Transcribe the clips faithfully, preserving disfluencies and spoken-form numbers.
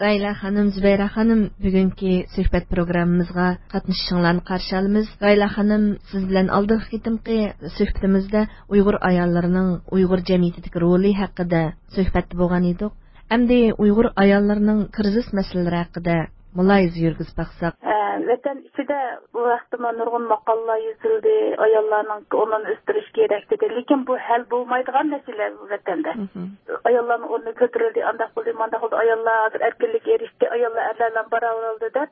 غايلە خانىم، زۇبەيرە خانىم، بۈگۈنكى سۆھبەت پروگراممىمىزغا قاتنىشىشىڭلارنى قارشى ئالىمىز. غايلە خانىم، سىز بىلەن ئالدىنقى قېتىمقى سۆھبىتىمىزدە ئۇيغۇر ئاياللىرىنىڭ ئۇيغۇر جەمئىيىتىدىكى رولى ھەققىدە سۆھبەتتە بولغان ئىدۇق. ئەمدى ئۇيغۇر ئاياللىرىنىڭ كىرىزىس مەسىلىلىرى ھەققىدە مۇلاھىزە يۈرگۈزۈپ باقساق. ئە، ۋەتەن ئىچىدە بۇ ھەقتىمۇ نۇرغۇن ماقالىلار يېزىلدى، ئاياللارنىڭ ئورنىنى ئۆستۈرۈش كېرەك دېدى. لېكىن بۇ ھەل بولمايدىغان مەسىلە ۋەتەندە. مھم. ئاياللارنىڭ ئورنى كۆتۈرۈلدى، ئانداق بولدى، مانداق بولدى، ئاياللار ھازىر ئەركىنلىككە ئېرىشتى، ئاياللار ئەرلەر بىلەن باراۋەر بولدى دەپ،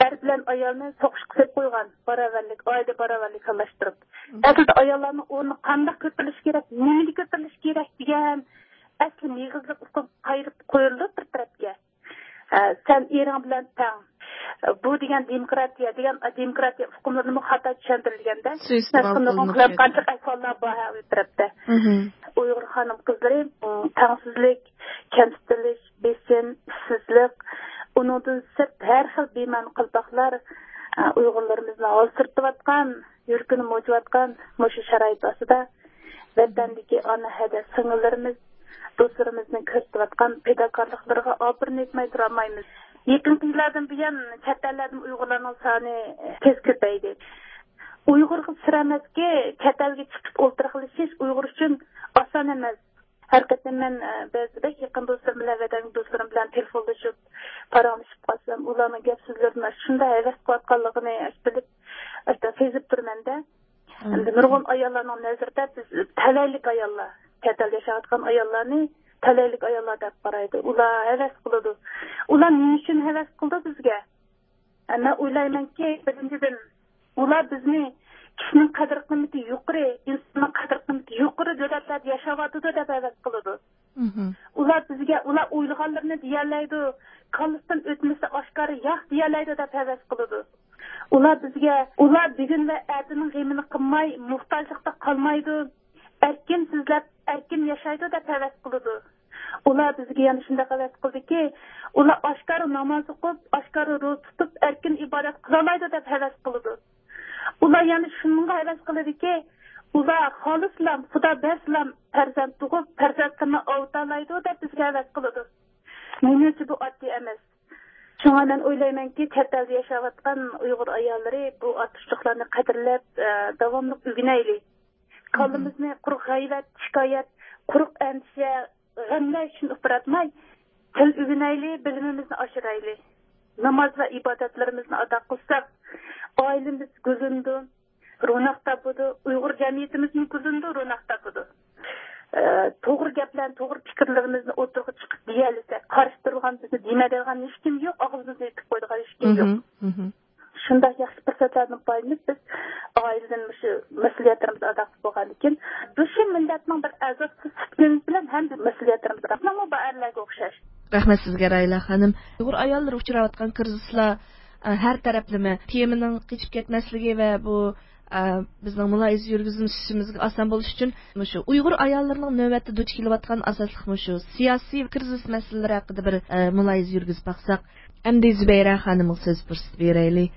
ئەر بىلەن ئايالنى سوقۇشقا سېلىپ قويغان، باراۋەرلىك، ئائىلە باراۋەرلىكى خىللاشتۇرۇپ. مھم. ئەسلىدە ئاياللارنىڭ ئورنى قانداق كۆتۈرۈلۈشى كېرەك، نېمىدە كۆتۈرۈلۈشى كېرەك دېگەن ئەسلى مېغىزلىق ئۇقۇم قايرىپ قويۇلدى بىر تەرەپكە. ئە، سەن ئېرىڭ بىلەن تەڭ. بۇ دېگەن دېموكراتىيە دېگەن، دېموكراتىيە ئۇقۇملىرىمۇ خاتا چۈشەندۈرۈلگەندە، سۇيىئىستېمال قىلىنىپ كەتتى. قانچىلىك ئەھۋاللار بار ھە، ئۇ تەرەپتە. مھم. ئۇيغۇر خانىم قىزلىرى، م، تەڭسىزلىك، كەمسىتىلىش، بېسىم، ئىشسىزلىق، ئۇنىڭدىن سىرت ھەر خىل بىمەنە قالپاقلار، ئە، ئۇيغۇرلىرىمىزنى ھالسىرىتىۋاتقان، يۈرىكىنى موجۇۋاتقان مۇشۇ شارائىت ئاستىدا ۋەتەندىكى ئانا ھەدە سىڭىللىرىمىز، دوستلىرىمىزنىڭ كۆرسىتىۋاتقان پىداكارلىقلىرىغا ئاپىرىن ئېيتماي تۇرالمايمىز. يېقىنقى يىللاردىن بۇيان چەت ئەللەردىن ئۇيغۇرلارنىڭ سانى تېز كۆپەيدى. ئۇيغۇرغا سىر ئەمەسكى، چەت ئەلگە چىقىپ ئولتۇراقلىشىش ئۇيغۇر ئۈچۈن ئاسان ئەمەس. ھەر قېتىم مەن، ئە، بەزىدە بەك يېقىن دوستلىرىم بىلەن، ۋەتەندىكى دوستلىرىم بىلەن تېلېفونلىشىپ، پاراڭلىشىپ قالسام، ئۇلارنىڭ گەپ سۆزلىرىدىن شۇنداق ھەۋەس قىلىۋاتقانلىقىنى بىلىپ، سېزىپ تۇرىمەن-دە. ئەمدى نۇرغۇن ئاياللارنىڭ نەزىرىدە بىز تەلەيلىك ئاياللار، چەت ئەلدە ياشاۋاتقان ئاياللارنى تەلەيلىك ئاياللار دەپ قارايدۇ. ئۇلار ھەۋەس قىلىدۇ. ئۇلار نېمە ئۈچۈن ھەۋەس قىلىدۇ بىزگە؟ مەن ئويلايمەنكى، بىرىنچىدىن، ئۇلار بىزنى كىشىنىڭ قەدىر قىممىتى يۇقىرى، ئىنساننىڭ قەدىر قىممىتى يۇقىرى دۆلەتلەردە ياشاۋاتىدۇ دەپ ھەۋەس قىلىدۇ. مھم. ئۇلار بىزگە، ئۇلار ئويلىغانلىرىنى دېيەلەيدۇ، كاللىسىدىن ئۆتمىسە ئاشكارا ياق دېيەلەيدۇ دەپ ھەۋەس قىلىدۇ. ئۇلار بىزگە، ئۇلار بۈگۈن ۋە ئەتىنىڭ غېمىنى قىلماي، موھتاجلىقتا قالمايدۇ. ئەركىن سۆزلەپ، ئەركىن ياشايدۇ دەپ ھەۋەس قىلىدۇ. ئۇلار بىزگە يەنە شۇنداق ھەۋەس قىلدىكى، ئۇلار ئاشكارا ناماز ئوقۇپ، ئاشكارا روزا تۇتۇپ، ئەركىن ئىبادەت قىلالايدۇ دەپ ھەۋەس قىلىدۇ. ئۇلار يەنە شۇنىڭغا ھەۋەس قىلىدۇكى، ئۇلار خالىسىلا، خۇدا بەرسىلا پەرزەنت تۇغۇپ، پەرزەنتلىرىنى ئاۋۇتالايدۇ دەپ بىزگە ھەۋەس قىلىدۇ. مېنىڭچە بۇ ئاددىي ئەمەس. شۇڭا مەن ئويلايمەنكى، چەت ئەلدە ياشاۋاتقان ئۇيغۇر ئاياللىرى بۇ ئارتۇقچىلىقلارنى قەدىرلەپ، ئە، داۋاملىق ئۆگىنەيلى. كاللىمىزنى قۇرۇق غەيۋەت، شىكايەت، قۇرۇق ئەندىشە، غەملەر ئۈچۈن ئۇپراتماي، تىل ئۆگىنەيلى، بىلىمىمىزنى ئاشۇرايلى. ناماز ۋە ئىبادەتلىرىمىزنى ئادا قىلساق، ئائىلىمىز گۈللىنىدۇ، روناق تاپىدۇ، ئۇيغۇر جەمئىيىتىمىزمۇ گۈللىنىدۇ، روناق تاپىدۇ. ئە، توغرا گەپلەرنى، توغرا پىكىرلىرىمىزنى ئوتتۇرىغا چىقىپ دېيەلىسەك، قارشى تۇرغان، بىزنى دېمەيدىغان ھېچكىم يوق، ئاغزىمىزنى يېپىپ قويىدىغان ھېچكىم يوق. مھم، مھم. شۇنداق ياخشى پۇرسەتلەردىن پايدىلىنىپ، بىز ئائىلىدىن مۇشۇ مەسئۇلىيەتلىرىمىزنى ئادا قىلىپ بولغاندىكىن، بىز شۇ مىللەتنىڭ بىر ئەزاسى سۈپىتىمىز بىلەن ھەم مەسئۇلىيەتلىرىمىزنى، بىزمۇ بۇ ئەرلەرگە ئوخشاش. رەھمەت سىزگە، راھىلە خانىم. ئۇيغۇر ئاياللىرى ئۇچراۋاتقان كىرىزىسلار، ئە، ھەر تەرەپلىمە تېمىنىڭ قېچىپ كەتمەسلىكى ۋە بۇ، ئە، بىزنىڭ مۇلاھىزە يۈرگۈزۈشىمىزگە ئاسان بولۇش ئۈچۈن مۇشۇ ئۇيغۇر ئاياللىرىنىڭ نۆۋەتتە دۇچ كېلىۋاتقان ئاساسلىق مۇشۇ سىياسىي كىرىزىس مەسىلىلىرى ھەققىدە بىر، ئە، مۇلاھىزە يۈرگۈزۈپ باقساق. ئەمدى زۇبەيرە خانىمغا سۆز پۇرسىتى بېرەيلى.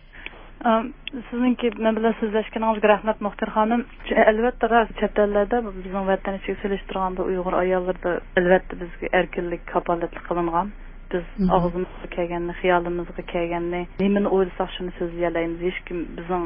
ئام، سىزنىڭكى مەن بىلەن سۆزلەشكىنىڭىزگە رەھمەت، مۇختەر خانىم. ئەلۋەتتە، راست، چەت ئەللەردە بىزنىڭ ۋەتەن ئىچىگە سېلىشتۇرغاندا ئۇيغۇر ئاياللىرىدا، ئەلۋەتتە، بىزگە ئەركىنلىك كاپالەتلىك قىلىنغان. بىز مھم. ئاغزىمىزغا كەلگەننى، خىيالىمىزغا كەلگەننى، نېمىنى ئويلىساق شۇنى سۆزلىيەلەيمىز. ھېچكىم بىزنىڭ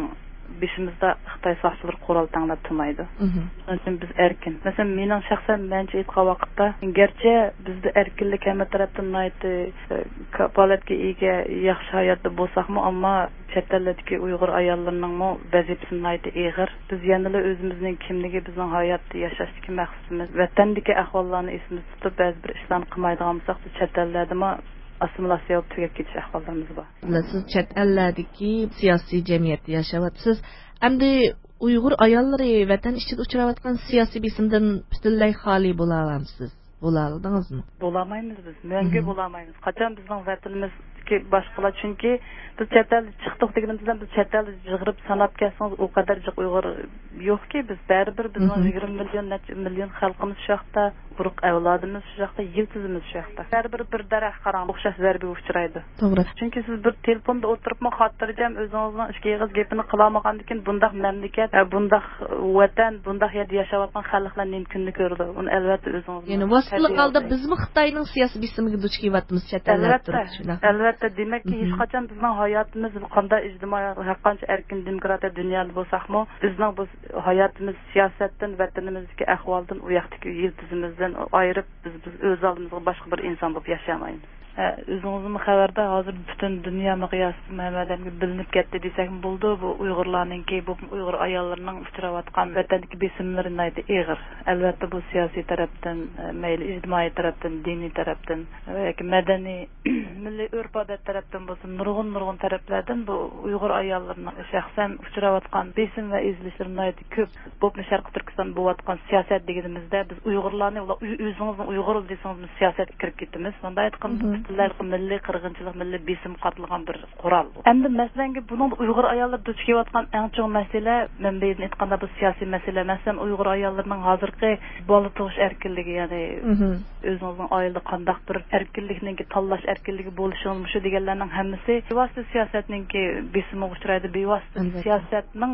بېشىمىزدا خىتاي ساقچىلىرى قورال تەڭلەپ تۇرمايدۇ. مھم. شۇنىڭ ئۈچۈن بىز ئەركىن. مەسىلەن، مېنىڭ شەخسەن مەنچە ئېيتقان ۋاقىتتا، گەرچە بىزدە ئەركىنلىك ھەممە تەرەپتىن ناھايىتى، ئە، كاپالەتكە ئىگە، ياخشى ھاياتتا بولساقمۇ، ئەمما چەت ئەللەردىكى ئۇيغۇر ئاياللىرىنىڭمۇ ۋەزىپىسى ناھايىتى ئېغىر. بىز يەنىلا ئۆزىمىزنىڭ كىملىكى، بىزنىڭ ھاياتتا ياشاشتىكى مەقسىتىمىز، ۋەتەندىكى ئەھۋاللارنى ئېسىمىزدە تۇتۇپ، بەزى بىر ئىشلارنى قىلمايدىغان بولساق، بىز چەت ئەللەردىمۇ ئاسسىمىلياتسىيە بولۇپ تۈگەپ كېتىش ئەھۋاللىرىمىز بار. سىز چەت ئەللەردىكى سىياسىي جەمئىيەتتە ياشاۋاتىسىز. ئەمدى ئۇيغۇر ئاياللىرى ۋەتەن ئىچىدە ئۇچراۋاتقان سىياسىي بېسىمدىن پۈتۈنلەي خالىي بولالامسىز؟ بولالىدىڭىزمۇ؟ بولالمايمىز بىز. مەڭگۈ مھم. بولالمايمىز. قاچان بىزنىڭ ۋەتىنىمىزدىكى باشقىلار، چۈنكى بىز چەت ئەلدە چىقتۇق دېگىنىمىز بىلەن، بىز چەت ئەلدە جىغىرىپ ساناپ كەلسىڭىز، ئۇ قەدەر جىق ئۇيغۇر يوقكى، بىز بەرىبىر بىزنىڭ مھم. يىگىرمە مىليون، نەچچە مىليون خەلقىمىز شۇ ياقتا. ئۇرۇق ئەۋلادىمىز شۇ ياقتا، يىلتىزىمىز شۇ ياقتا. ھەر بىر، بىر دەرەخ قاراڭ، ئوخشاش زەربىگە ئۇچرايدۇ. توغرا. چۈنكى سىز بىر تېلېفوندا ئولتۇرۇپمۇ خاتىرجەم ئۆزىڭىزنىڭ ئىككى ئېغىز گېپىنى قىلالمىغاندىكىن، بۇنداق مەملىكەت، ھە، بۇنداق ۋەتەن، بۇنداق يەردە ياشاۋاتقان خەلقلەر نېمە كۈننى كۆرىدۇ؟ ئۇنى ئەلۋەتتە ئۆزىڭىز يەنى ۋاسىتىلىك ھالدا بىزمۇ خىتاينىڭ سىياسىي بېسىمىگە دۇچ كېلىۋاتىمىز، چەت ئەللەردە ئەلۋەتتە، تۇرۇپ شۇنداق. ئەلۋەتتە، دېمەككى، مهم. ھېچقاچان بىزنىڭ ھاياتىمىز قانداق ئىجتىمائىي، ھەرقانچە ئەركىن دېموكراتىيە دۇنيادا بولساقمۇ، بىزنىڭ بۇ ھاياتىمىز سىياسەتتىن، ۋەتىنىمىزدىكى ئەھۋالدىن، ئۇ ياقتىكى يىلتىزىمىزدىن ئايرىپ، بىز، بىز ئۆز ئالدىمىزغا باشقا بىر ئىنسان بولۇپ ياشىيالمايمىز. ھە، ئۆزىڭىزمۇ خەۋەردار، ھازىر پۈتۈن دۇنيا مىقياسىدا ھەممە ئادەمگە بىلىنىپ كەتتى دېسەكمۇ بولىدۇ. بۇ ئۇيغۇرلارنىڭكى، بۇ ئۇيغۇر ئاياللىرىنىڭ ئۇچراۋاتقان ۋەتەندىكى بېسىملىرى ناھايىتى ئېغىر. ئەلۋەتتە، بۇ سىياسىي تەرەپتىن، مەيلى ئىجتىمائىي تەرەپتىن، دىنىي تەرەپتىن ياكى مەدەنىي، مىللىي ئۆرپ-ئادەت تەرەپتىن بولسۇن، نۇرغۇن، نۇرغۇن تەرەپلەردىن بۇ ئۇيغۇر ئاياللىرىنىڭ شەخسەن ئۇچراۋاتقان بېسىم ۋە ئېزىلىشلىرى ناھايىتى كۆپ. بولۇپمۇ شەرقىي تۈركىستاندا بولۇۋاتقان سىياسەت دېگىنىمىزدە، بىز ئۇيغۇرلارنى، ئۇلار ئۆ-، ئۆزىڭىزنى ئۇيغۇر دېسىڭىزمۇ سىياسەتكە كىرىپ كېتىمىز. مۇنداق ئېيتقاندا، مھم. پۈتۈنلەي مىللىي قىرغىنچىلىق، مىللىي بېسىم قاتلىغان بىر قورال. ئەمدى مەسىلەنگە، بۇنىڭدا ئۇيغۇر ئاياللىرى دۇچ كېلىۋاتقان ئەڭ چوڭ مەسىلە، مەنبەيدىن ئېيتقاندا، بۇ سىياسىي مەسىلە. مەسىلەن، ئۇيغۇر ئاياللىرىنىڭ ھازىرقى بالا تۇغۇش ئەركىنلىكى، يەنى مھم. ئۆزىڭىزنىڭ ئائىلىدە قانداق بىر ئەركىنلىكنىڭكى تاللاش ئەركىنلىكى بولۇشىڭىز، مۇشۇ دېگەنلەرنىڭ ھەممىسى بىۋاسىتە سىياسەتنىڭكى بېسىمىغا ئۇچرايدۇ، بىۋاسىتە ئەلۋەتتە. سىياسەتنىڭ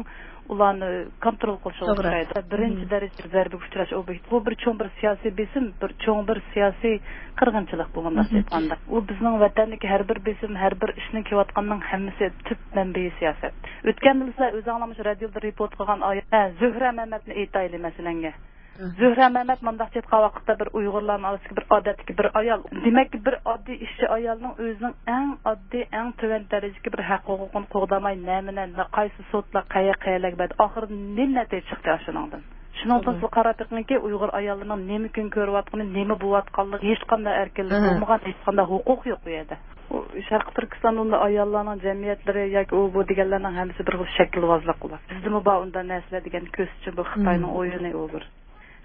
ئۇلارنى كونترول قىلىشىغا توغرا. ئۇچرايدۇ. بىرىنچى مھم. دەرىجىلىك زەربىگە ئۇچراش ئوبيېكتى. بۇ بىر چوڭ بىر سىياسىي بېسىم، بىر چوڭ بىر سىياسىي قىرغىنچىلىق بۇ، مۇنداق مھم. ئېيتقاندا. ئۇ بىزنىڭ ۋەتەندىكى ھەر بىر بېسىم، ھەر بىر ئىشنىڭ كېلىۋاتقاننىڭ ھەممىسى تۈپ مەنبىيى سىياسەت. ئۆتكەندىلا سىلەر ئۆزۈڭلار مۇشۇ رادىيودا رېپورت قىلغان ئايەت، ھە، زۆھرە مەمەتنى ئېيتايلى، مەسىلەنگە. زۆھرە مەمەت مۇنداق ئېيتقان ۋاقىتتا بىر ئۇيغۇرلارنىڭ ئارىسىدىكى بىر ئادەتتىكى بىر ئايال. دېمەك، بىر ئاددىي ئىشچى ئايالنىڭ ئۆزىنىڭ ئەڭ ئاددىي، ئەڭ تۆۋەن دەرىجىدىكى بىر ھەق ھوقۇقىنى قوغدىماي، نەمە نە، قايسى سوتلار قەيە-، قەيەرلەرگە بەردى؟ ئاخىرىدا نېمە نەتىجە چىقتى ئاشۇنىڭدىن؟ شۇنىڭدىن توغرا. سىز قاراپ بېقىڭكى، ئۇيغۇر ئاياللىرىنىڭ نېمە كۈن كۆرۈۋاتقىنى، نېمە بولۇۋاتقانلىقى، ھېچقانداق ئەركىنلىك ئەھە. بولمىغان، ھېچقانداق ھوقۇق يوق ئۇ يەردە. ئۇ شەرقىي تۈركىستاندا ئۇنداق ئاياللارنىڭ جەمئىيەتلىرى ياكى ئۇ بۇ دېگەنلەرنىڭ ھەممىسى بىر خىل شەكىلۋازلىق بۇلار. بىزدىمۇ بار ئۇنداق نەرسىلەر دېگەن كۆزچى بۇ خىتاينىڭ مم. ئويۇنى ئۇ بىر.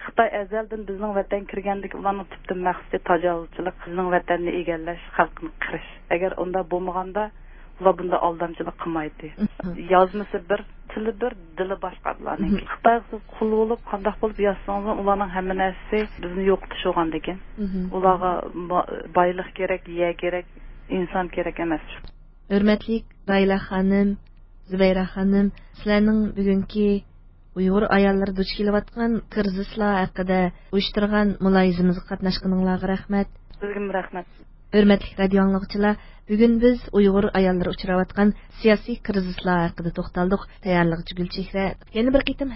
خىتاي ئەزەلدىن بىزنىڭ ۋەتەنگە كىرگەندىكى ئۇلارنىڭ تۈپتىن مەقسىتى تاجاۋۇزچىلىق، بىزنىڭ ۋەتەننى ئىگىلەش، خەلقنى قىرىش. ئەگەر ئۇنداق بولمىغاندا، ئۇلار بۇنداق ئالدامچىلىق قىلمايتتى. مم. يازمىسى بىر، تىلى بىر، دىلى باشقا بۇلارنىڭكى. مم. خىتايغا سىز قۇل بولۇپ، قانداق بولۇپ ياشىسىڭىزمۇ، ئۇلارنىڭ ھەممە نەرسىسى بىزنى يوقىتىش بولغاندىكىن. مم. ئۇلارغا با-، بايلىق كېرەك، يەر كېرەك، ئىنسان كېرەك ئەمەس. ھۆرمەتلىك راھىلە خانىم، زۇبەيرە خانىم، سىلەرنىڭ بۈگۈنكى ئۇيغۇر ئاياللىرى دۇچ كېلىۋاتقان كىرىزىسلار ھەققىدە ئۇيۇشتۇرغان مۇلاھىزىمىزگە قاتناشقىنىڭلارغا رەھمەت. سىزگىمۇ رەھمەت. ھۆرمەتلىك رادىيو ئاڭلىغۇچىلار، بۈگۈن بىز ئۇيغۇر ئاياللىرى ئۇچراۋاتقان سىياسىي كىرىزىسلار ھەققىدە توختالدۇق. تەييارلىغۇچى گۈلچېھرە. يەنە بىر قېتىم